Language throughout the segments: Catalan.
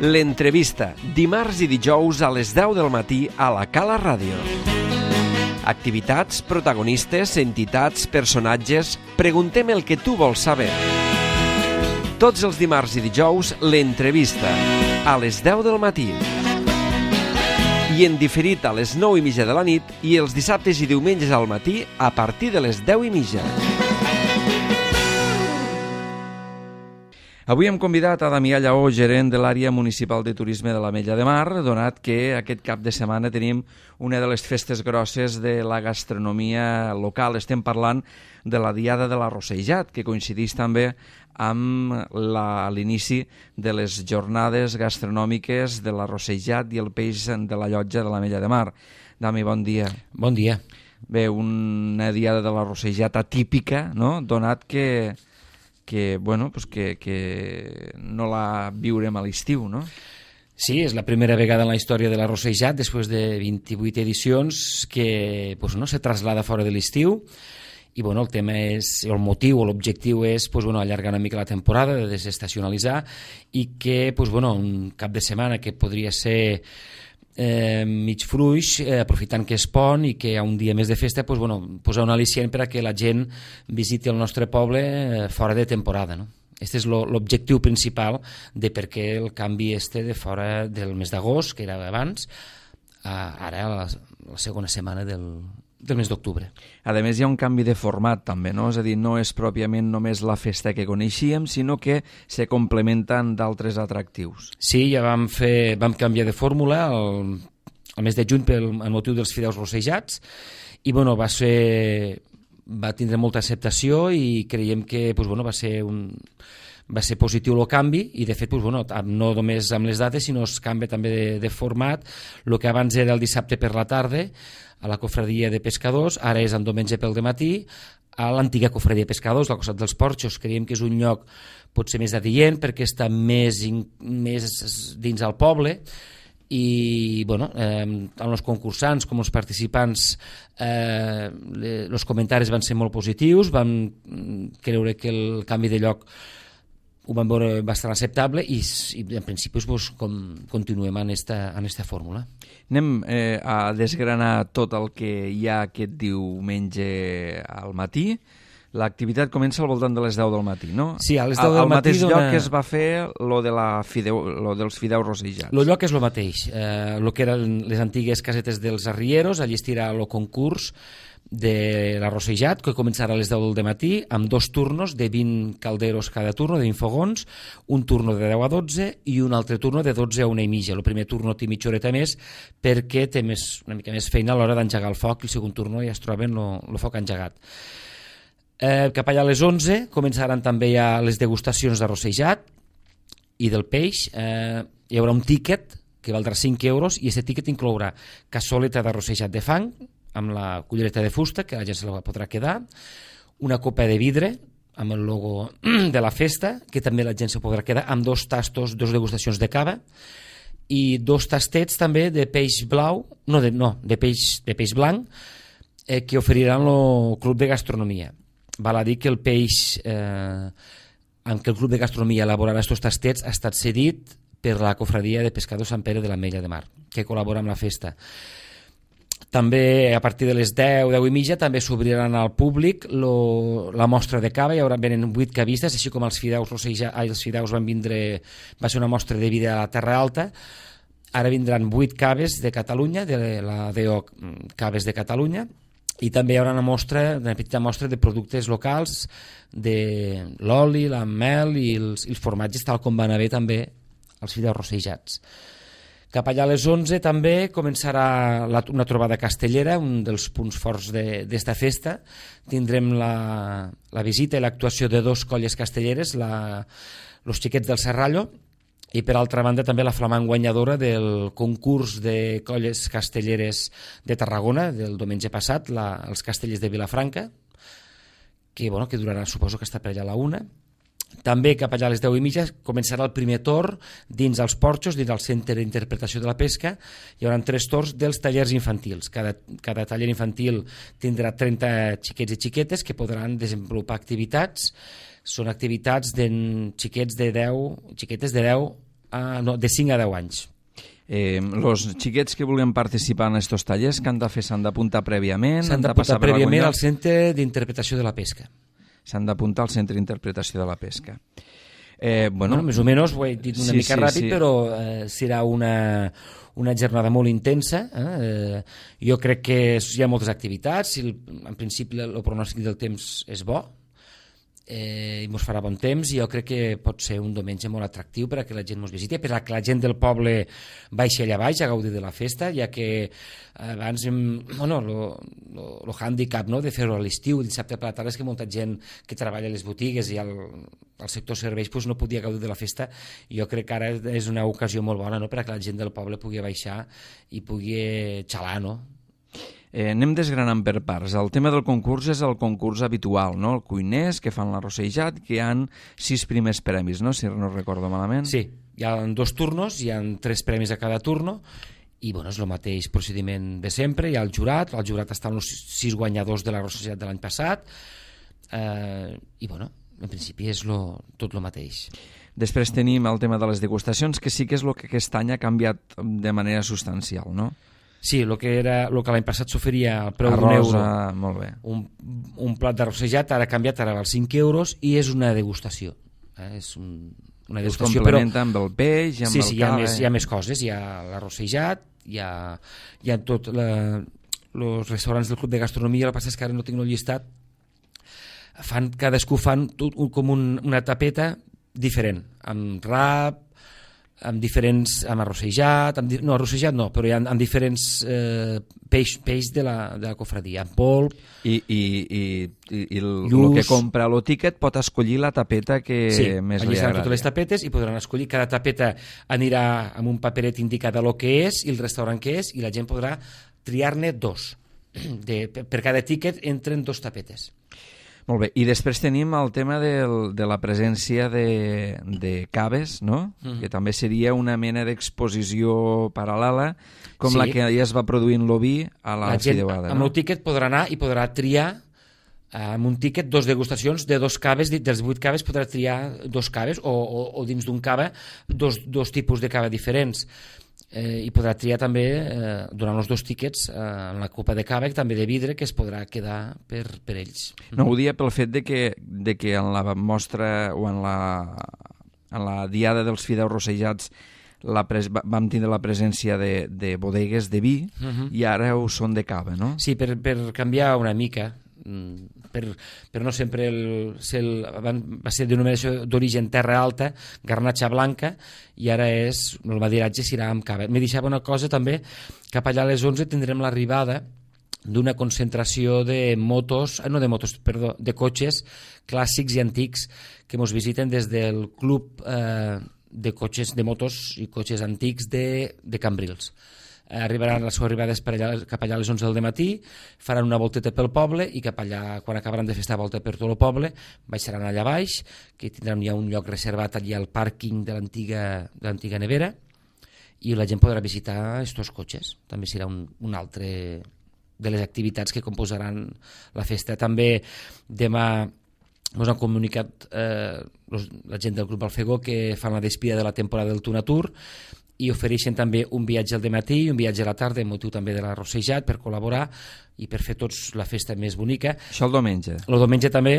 L'entrevista, dimarts i dijous a les 10 del matí a la Cala Ràdio. Activitats, protagonistes, entitats, personatges... Preguntem el que tu vols saber. Tots els dimarts i dijous, l'entrevista, a les 10 del matí. I en diferit a les 9:30 de la nit i els dissabtes i diumenges al matí a partir de les 10:30. Avui hem convidat a Damià Lleó, gerent de l'àrea municipal de turisme de l'Ametlla de Mar, donat que aquest cap de setmana tenim una de les festes grosses de la gastronomia local. Estem parlant de la Diada de l'Arrossejat, que coincideix també amb l'inici de les jornades gastronòmiques de l'arrossejat i el peix de la llotja de l'Ametlla de Mar. Dami, bon dia. Bon dia. Bé, una Diada de l'Arrossejat atípica, no?, donat que no la viurem a l'estiu, no? Sí, és la primera vegada en la història de l'Arrossejat, després de 28 edicions, que se traslada fora de l'estiu. I el tema és, el motiu o l'objectiu és allargar una mica la temporada, de desestacionalitzar, i que un cap de setmana que podria ser mig fluix, aprofitant que és pont i que hi ha un dia més de festa, posar un al·licient per a que la gent visiti el nostre poble fora de temporada, no? Aquest és l'objectiu principal de per què el canvi de fora del mes d'agost, que era abans, ara a la segona setmana del mes d'octubre. A més, hi ha un canvi de format també, no? És a dir, no és pròpiament només la festa que coneixíem, sinó que se complementen d'altres atractius. Sí, ja vam canviar de fórmula el mes de juny pel motiu dels fideus rossejats i va tindre molta acceptació i creiem que va ser positiu el canvi i de fet no només amb les dates sinó es canvia també de format. El que abans era el dissabte per la tarda a la cofradia de pescadors, ara és en diumenge pel dematí a l'antiga cofradia de pescadors al costat dels porxos. Creiem que és un lloc potser més adient perquè està més dins el poble i tant els concursants com els participants els comentaris van ser molt positius, vam creure que el canvi de lloc ho vam veure bastant acceptable i en principi continuem en esta fórmula. Anem a desgranar tot el que hi ha aquest diumenge al matí. L'activitat comença al voltant de les 10 del matí, no? Sí, a les 10 del matí. Al mateix lloc que es va fer lo dels fideus rossejats. El lloc és el mateix. El que eren les antigues casetes dels arrieros, allí estirà el concurs de l'arrossejat, que començarà a les 10 del matí, amb 2 turnos de 20 calderos cada turno, de 20 fogons, un turno de 10 a 12 i un altre turno de 12 a 1:30. El primer turno té mitja horeta més perquè té una mica més feina a l'hora d'engegar el foc i el segon turno ja es troba el foc engegat. Cap allà a les 11 començaran també ja les degustacions d'arrossejat i del peix. Hi haurà un tíquet que valdrà 5 euros i aquest tíquet inclourà cassoleta d'arrossejat de fang amb la cullereta de fusta, que la gent se la podrà quedar, una copa de vidre amb el logo de la festa, que també la gent se podrà quedar, amb 2 tastos, 2 degustacions de cava i 2 tastets també de peix blau, de peix blanc, que oferiran el Club de Gastronomia. Val a dir que el peix amb què el Club de Gastronomia elaborarà aquests tastets ha estat cedit per la cofradia de pescadors Sant Pere de l'Ametlla de Mar, que col·labora amb la festa. També a partir de les 10:30 també s'obriran al públic la mostra de cava. Venen 8 cavistes, així com els fideus van vindre, va ser una mostra de vida a la Terra Alta. Ara vindran 8 caves de Catalunya, de la DO Caves de Catalunya, i també hi haurà una petita mostra de productes locals, de l'oli, la mel i els formatges, tal com van haver també els fideus rossejats. Cap allà a les 11 també començarà una trobada castellera, un dels punts forts d'esta festa. Tindrem la visita i l'actuació de 2 colles castelleres, los Xiquets del Serrallo, i per altra banda també la flamant guanyadora del concurs de colles castelleres de Tarragona del diumenge passat, els Castellers de Vilafranca, que durarà, suposo que està per allà a la 1. També cap allà a les 10:30 començarà el primer torn dins els porxos, dins el centre d'interpretació de la pesca. Hi haurà 3 torns dels tallers infantils. Cada taller infantil tindrà 30 xiquets i xiquetes que podran desenvolupar activitats. Són activitats de xiquetes de 10 de 5 a 10 anys. Els xiquets que vulguin participar en aquests tallers, que han de fer? S'han d'apuntar prèviament? S'han d'apuntar prèviament al Centre d'Interpretació de la Pesca. S'han d'apuntar al Centre d'Interpretació de la Pesca. Bueno, més o menys ho he dit una mica ràpid, però serà una jornada molt intensa. Jo crec que hi ha moltes activitats. En principi el pronòstic del temps és bo, i ens farà bon temps, i jo crec que pot ser un diumenge molt atractiu per a que la gent ens visiti, per a que la gent del poble baixi allà baix a gaudir de la festa, ja que abans el hàndicap de fer-ho a l'estiu, dissabte per la tarda, és que molta gent que treballa a les botigues i al sector serveis no podia gaudir de la festa, i jo crec que ara és una ocasió molt bona per a que la gent del poble pugui baixar i pugui xalar, no? Anem desgranant per parts. El tema del concurs és el concurs habitual, no? El cuiners que fan l'arrossejat, que hi ha 6 primers premis, no? Si no recordo malament. Sí, hi ha 2 turnos, hi ha 3 premis a cada turno, i és el mateix procediment de sempre. Hi ha el jurat estan els 6 guanyadors de l'arrossejat de l'any passat, i en principi és tot el mateix. Després tenim el tema de les degustacions, que sí que és el que aquest any ha canviat de manera substancial, no? Sí, el que l'any passat s'oferia al preu d'un euro, molt bé. un plat d'arrossejat, ara ha canviat, ara val 5 euros, i és una degustació. És una degustació, es complementa amb el peix, amb el cava. Sí, hi ha més coses, hi ha l'arrossejat, hi ha tot els restaurants del Club de Gastronomia. El que passa és que ara no tinc el llistat, cadascú fan com una tapeta diferent, amb rap, amb arrossejat, però amb diferents peix de la cofradia, amb polp. I el que compra el tiquet pot escollir la tapeta que més li agrada. Sí, allà estan totes les tapetes i podran escollir. Cada tapeta anirà amb un paperet indicat el que és i el restaurant que és, i la gent podrà triar-ne 2. Per cada tiquet entren 2 tapetes. Molt bé, i després tenim el tema de la presència de caves, no? Que també seria una mena d'exposició paral·lela, com la que ja es va produint l'oví a la Fideuada. Amb el tíquet podrà anar i podrà triar amb un tíquet 2 degustacions de 2 caves, dels 8 caves podrà triar 2 caves, o dins d'un cava 2 tipus de cava diferents. I podrà triar també, durant els 2 tíquets, en la copa de cava, també de vidre, que es podrà quedar per ells. No, ho dia pel fet de que en la mostra o en la diada dels fideus rossejats vam tindre la presència de bodegues de vi, i ara ho són de cava, no? Sí, per canviar una mica, però no sempre va ser denominació d'origen terra alta, garnatxa blanca, i ara el madiratge serà amb cava. Me deixava una cosa també, cap allà a les 11 tindrem l'arribada d'una concentració de cotxes clàssics i antics que ens visiten des del club de cotxes, de motos i cotxes antics de Cambrils. Arribaran, la seva arribada és cap allà a les 11 del matí, faran una volteta pel poble, i cap allà, quan acabaran de fer esta volta per tot el poble, baixaran allà baix, que tindran ja un lloc reservat allà al pàrquing de l'antiga nevera, i la gent podrà visitar aquests cotxes. També serà un altre de les activitats que composaran la festa. També demà ens han comunicat la gent del grup Alfegó que fan la despida de la temporada del Tunatur, i ofereixen també un viatge al dematí i un viatge a la tarda, amb motiu també de l'arrossejat, per col·laborar i per fer tots la festa més bonica. Això el diumenge? El diumenge també,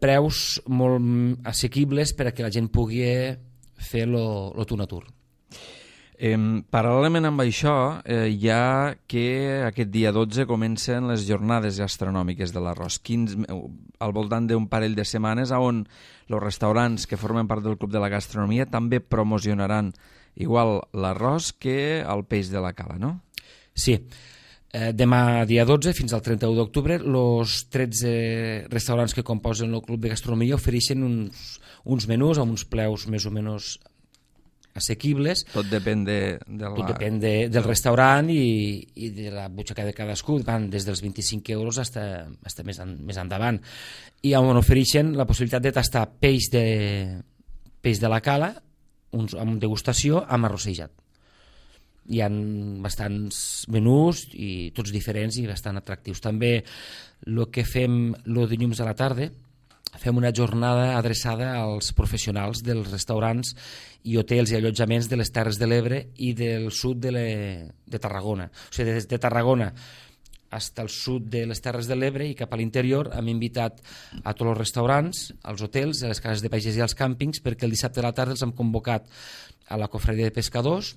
preus molt assequibles per a que la gent pugui fer el Tunatur. Paral·lelament amb això, hi ha que aquest dia 12 comencen les jornades gastronòmiques de l'arròs, al voltant d'un parell de setmanes, on els restaurants que formen part del Club de la Gastronomia també promocionaran igual l'arròs que el peix de la cala, no? Sí. Demà, dia 12, fins al 31 d'octubre, els 13 restaurants que composen el Club de Gastronomia ofereixen uns menús amb uns preus més o menys assequibles. Tot depèn del restaurant i de la butxaca de cadascú. Van des dels 25 euros fins més endavant. I on ofereixen la possibilitat de tastar peix de la cala amb degustació amb arrossejat. Hi ha bastants menús i tots diferents i bastant atractius. També el que fem el dilluns a la tarda fem una jornada adreçada als professionals dels restaurants i hotels i allotjaments de les Terres de l'Ebre i del sud de Tarragona. O sigui, des de Tarragona fins al sud de les Terres de l'Ebre i cap a l'interior hem invitat a tots els restaurants, als hotels, a les cases de paisatge i als càmpings, perquè el dissabte a la tarda els hem convocat a la cofradia de pescadors.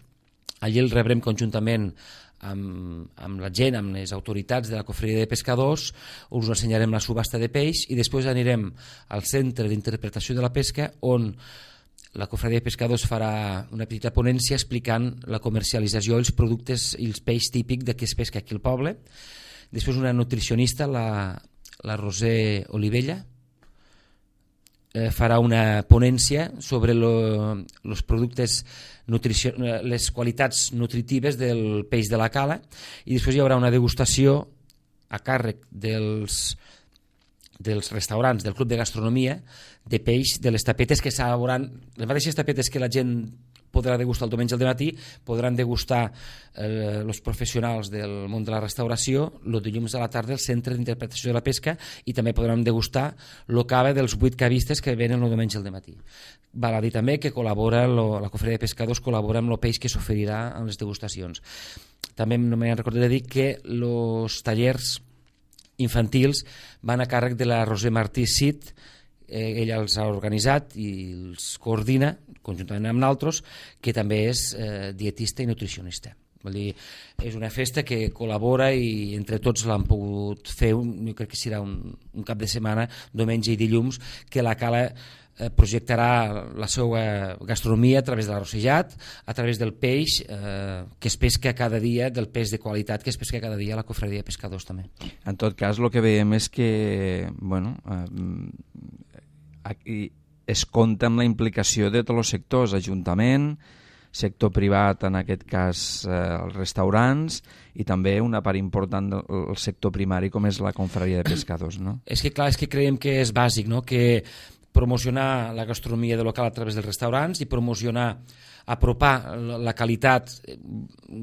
Allí el rebrem conjuntament amb la gent, amb les autoritats de la cofradia de pescadors, us ensenyarem la subhasta de peix i després anirem al centre d'interpretació de la pesca, on la cofradia de pescadors farà una petita ponència explicant la comercialització, els productes i els peix típic de què es pesca aquí al poble. Després una nutricionista, la Roser Olivella, farà una ponència sobre els productes, les qualitats nutritives del peix de la cala, i després hi haurà una degustació a càrrec dels restaurants del Club de Gastronomia de peix de les tapetes que s'elaboraran, les mateixes tapetes que la gent podrà degustar el diumenge al matí, podran degustar els professionals del món de la restauració el dilluns a la tarda al Centre d'Interpretació de la Pesca, i també podran degustar el cava dels 8 cavistes que venen el diumenge al matí. Val a dir també que la cofradia de pescadors col·labora amb el peix que s'oferirà en les degustacions. També no me'n recordaré de dir que els tallers infantils van a càrrec de la Roser Martí Cid. Ella els ha organitzat i els coordina conjuntament amb nosaltres, que també és dietista i nutricionista. Vol dir, és una festa que col·labora i entre tots l'han pogut fer, jo crec que serà un cap de setmana, diumenge i dilluns, que la cala projectarà la seva gastronomia a través de l'arrossejat, a través del peix que es pesca cada dia, del peix de qualitat que es pesca cada dia a la cofradia de pescadors també. En tot cas, el que veiem és que aquí es compta amb la implicació de tots els sectors, ajuntament, sector privat, en aquest cas els restaurants, i també una part important del sector primari com és la confraria de pescadors, no? És que clar, és que creiem que és bàsic, no? Que promocionar la gastronomia de local a través dels restaurants i apropar la qualitat,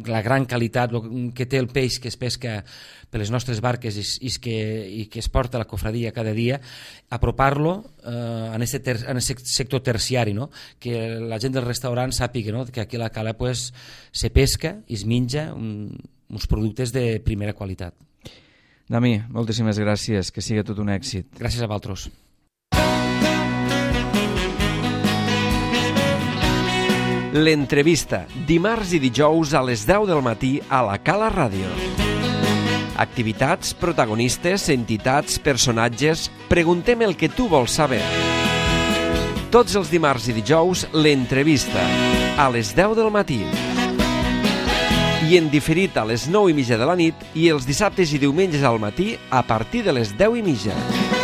la gran qualitat que té el peix que es pesca per les nostres barques i que es porta a la cofradia cada dia, apropar-lo en aquest sector terciari, no? Que la gent del restaurant sàpiga, no? Que aquí a la cala se pesca i es menja uns productes de primera qualitat. Dami, moltíssimes gràcies, que sigui tot un èxit. Gràcies a vosaltres. L'entrevista, dimarts i dijous a les 10 del matí a la Cala Ràdio. Activitats, protagonistes, entitats, personatges... Preguntem el que tu vols saber. Tots els dimarts i dijous, l'entrevista, a les 10 del matí. I en diferit a les 9:30 de la nit i els dissabtes i diumenges al matí a partir de les 10:30.